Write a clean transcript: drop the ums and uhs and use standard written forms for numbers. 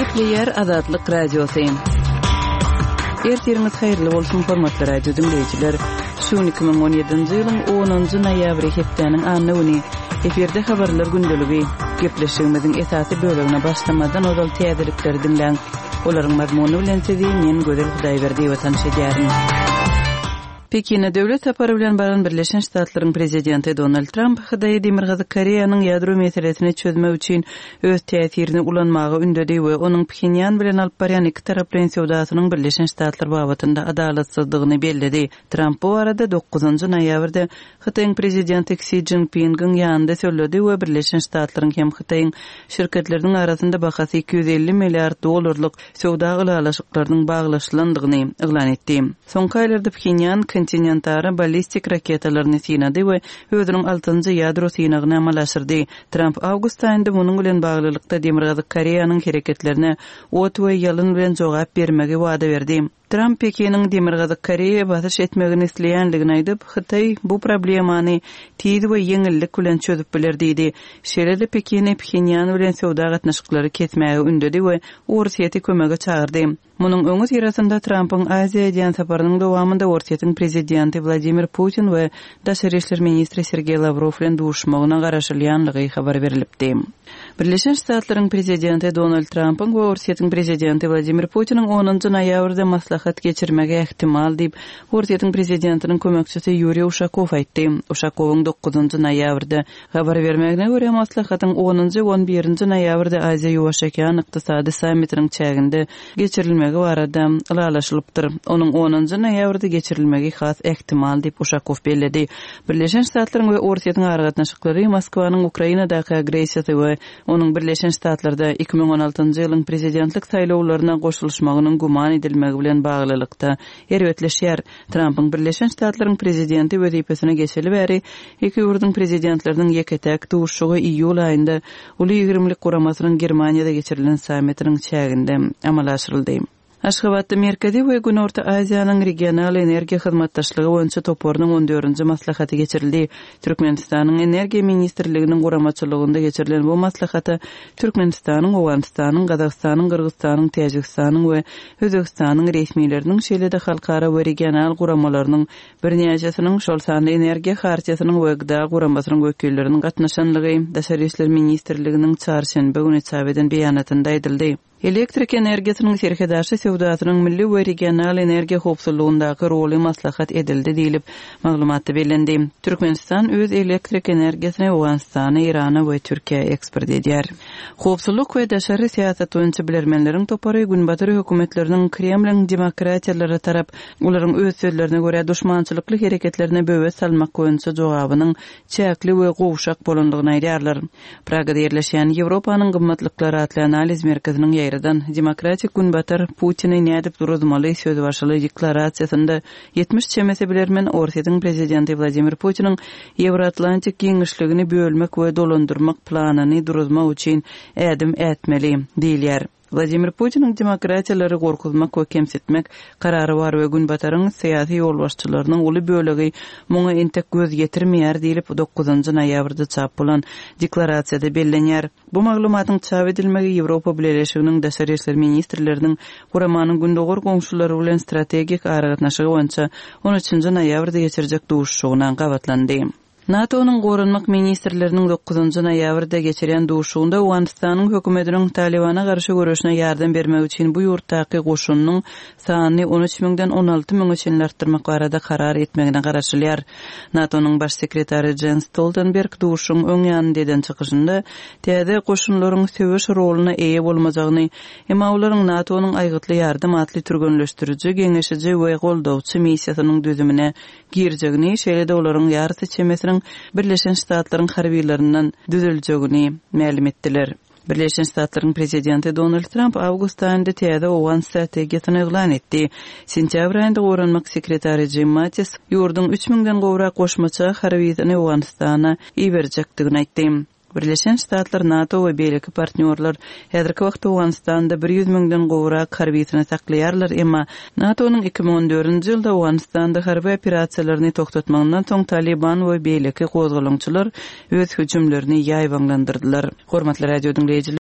Gepleýär Azatlyk Radiosy. Ertiriňiz haýyrly bolsun, hormatly radio diňleýjiler. Şu gün 2017-nji ýylyň 10-njy noýabry hepdäniň anna güni. Efirde habarlar gündeligi. Gepleşigimiziň esasy bölegine başlamazdan ozal täzelikleri diňläň. Olaryň mazmuny bilen sizi men Gözel Hudaýberdiýewa tanyş edýärin. Pekine döwlet sapary bilen baran Birleşen Ştatlaryň prezidenti Donald Tramp Hytaýy Demirgazyk Koreýanyň ýadro meselesini çözmek üçin öz täsirini ulanmaga ündedi we onuň Phenýan bilen alyp barýan ikitaraplaýyn söwdasynyň Birleşen Ştatlar babatynda adalatsyzdygyny belledi. Tramp bu barada dokuzynjy noýabrda Hytaýyň prezidenti Ksi Szinpingiň ýanynda sözledi we Birleşen Ştatlaryň hem Hytaýyň şirketleriniň arasynda bahasy 250 milliard dollarlyk söwda ylalaşyklarynyň baglaşylandygyny yglan etdi. Soňky aýlarda Phenýan kontinentara ballistik raketalaryny synady we özüniň altynjy ýadro synagyny amala aşyrdy. Tramp awgust aýynda munuň bilen baglylykda Demirgazyk Koreýanyň hereketlerine ot we ýalyn bilen jogap bermegi wada berdi. Tramp Pekiniň Demirgazyk Koreýa basyş etmegini isleýändigini aýdyp, Hytaý bu problemany tiz we ýeňillik bilen çözüp biler diýdi. Şeýle-de Pekini Phenýan bilen söwda gatnaşyklary kesmäge ündedi we Orsýeti kömege çagyrdy. Munuň öňüsyrasynda Trampyň Aziýa edýän saparynyň dowamynda Orsýetiň prezidenti Wladimir Putin we daşary işler ministri Sergeý Lawrow bilen duşmagyna garaşylýanlygy habar berlipdi. Birleşen Ştatlaryň prezidenti Donald Trampyň we Orsýetiň prezidenti Wladimir Putiniň onunjy noýabrda maslahat geçirmegi ähtimal diýip, Orsýetiň prezidentiniň kömekçisi Ýuriý Uşakow aýtdy. Uşakowyň dokuzynjy noýabrda habar bermegine görä, maslahatyň onunjy we on birinji noýabrda Aziýa-Ýuwaş okean ykdysady sammitiniň çäginde geçirilmegi barada ylalaşylypdyr. Onuň onunjy noýabrda geçirilmegi has ähtimal diýip, Uşakow belledi. Birleşen Ştatlaryň we Orsýetiň aragatnaşyklary Moskwanyň Ukrainadaky agressiýasy we onuň Birleşen Ştatlarda 2016-njy ýylyň prezidentlik saýlawlaryna goşulyşmagynyň güman edilmegi bilen baglylykda erbetleşýär. Trampyň Birleşen Ştatlaryň prezidenti wezipesine geçeli bäri iki ýurduň prezidentleriniň ýeke-täk duşuşygy iýul aýynda Uly ýigrimlik guramasynyň Germaniýada geçirilen sammitiniň çäginde amala aşyryldy. Aşgabatda Merkezi we Günorta Aziýanyň regional energiýa hyzmatdaşlygy boýunça toparynyň on dördünji maslahaty geçirildi. Türkmenistanyň Energiýa ministrliginiň guramaçylygynda geçirilen bu maslahata Türkmenistanyň, Owganystanyň, Gazagystanyň, Gyrgyzystanyň, Täjigistanyň we Özbegistanyň resmileriniň, şeýle-de halkara we regional guramalarynyň birnäçesiniň, şol sanda Energiýa Hartiýasynyň we GDA guramasynyň wekilleriniň gatnaşanlygy Daşary işler ministrliginiň çarşenbe güni çap eden beýanatynda aýdyldy. Elektrik energiýasynyň serhetaşy söwdasynyň milli we regional energiýa howpsuzlygyndaky roly maslahat edildi diýlip, maglumatda bellendi. Türkmenistan öz elektrik energiýasyny Owganystana, Eýrana we Türkiýä eksport edýär. Howpsuzlyk we daşary syýasat boýunça bilermenleriň topary Günbatar hökümetleriniň Kremliň demokratiýalara tarap, olaryň öz sözlerine görä, duşmançylykly hereketlerine böwet salmak boýunça jogabynyň çäkli we gowşak bolandygyny aýdýarlar. Pragada ýerleşýän Ýewropanyň gymmatlyklary atly analiz merkeziniň ýaýradan Demokratik Günbatar Putini nädip duruzmaly sözbaşyly deklarasiýasynda 70 çemesi bilermen Orsýetiň prezidenti Wladimir Putiniň Ýewroatlantik giňişligini bölmek we dolandyrmak planyny duruzmak üçin ädim ätmeli diýilýär. Wladimir Putiniň demokratiýalary gorkuzmak we kemsitmek karary bar we Günbataryň syýasy ýolbaşçylarynyň uly bölegi muňa entek göz ýetirmeýär diýlip, dokuzynjy noýabrda çap bolan deklarasiýada bellenýär. Bu maglumatyň çap edilmegi Ýewropa Bileleşiginiň daşary işler ministrleriniň guramanyň gündogar goňşulary bilen strategik aragatnaşygy boýunça on üçünji noýabrda geçirjek duşuşygyna gabatlandy. NATO-nyň goranmak ministrleriniň dokuzynjy noýabrda geçirýän duşuşygynda Owganystanyň hökümetiniň Talybana garşy göreşine ýardam bermek üçin bu ýurtdaky goşunynyň sanyny on üç müňden 16 müňe çenli artdyrmak barada karar etmegine garaşylýar. NATO-nyň Baş sekretary Jens Stoltenberg duşuşygyň öň ýanynda eden çykyşynda täze goşunlaryň söweş roluna eýe bolmajagyny, emma olaryň NATO-nyň Aýgytly ýardam atly türgenleşdiriji, geňeşiji we goldawçy missiýasynyň düzümine girjegini, şeýle-de olaryň ýarysy çemesiniň Birleşen Ştatlaryň harbylaryndan düzüljegini mälim etdiler. Birleşen Ştatlaryň prezidenti Donald Tramp awgust aýynda täze owgan strategiýasyny yglan etdi. Sentýabr aýynda goranmak sekretary Jim Mattis ýurduň üç müňden gowrak goşmaça harbysyny Owganystana iberjekdigini aýtdy. Birleşen Ştatlar, NATO we beýleki partnýorlar häzirki wagtda Owganystanda 100 müňden gowrak harbysyny saklaýarlar, emma NATO-nyň 2014-nji ýylda Owganystanda harby operasiýalaryny togtatmagyndan soň Talyban we beýleki gozgalaňçylar öz hüjümlerini ýaýbaňlandyrdylar. Hormatly radio diňleýjiler!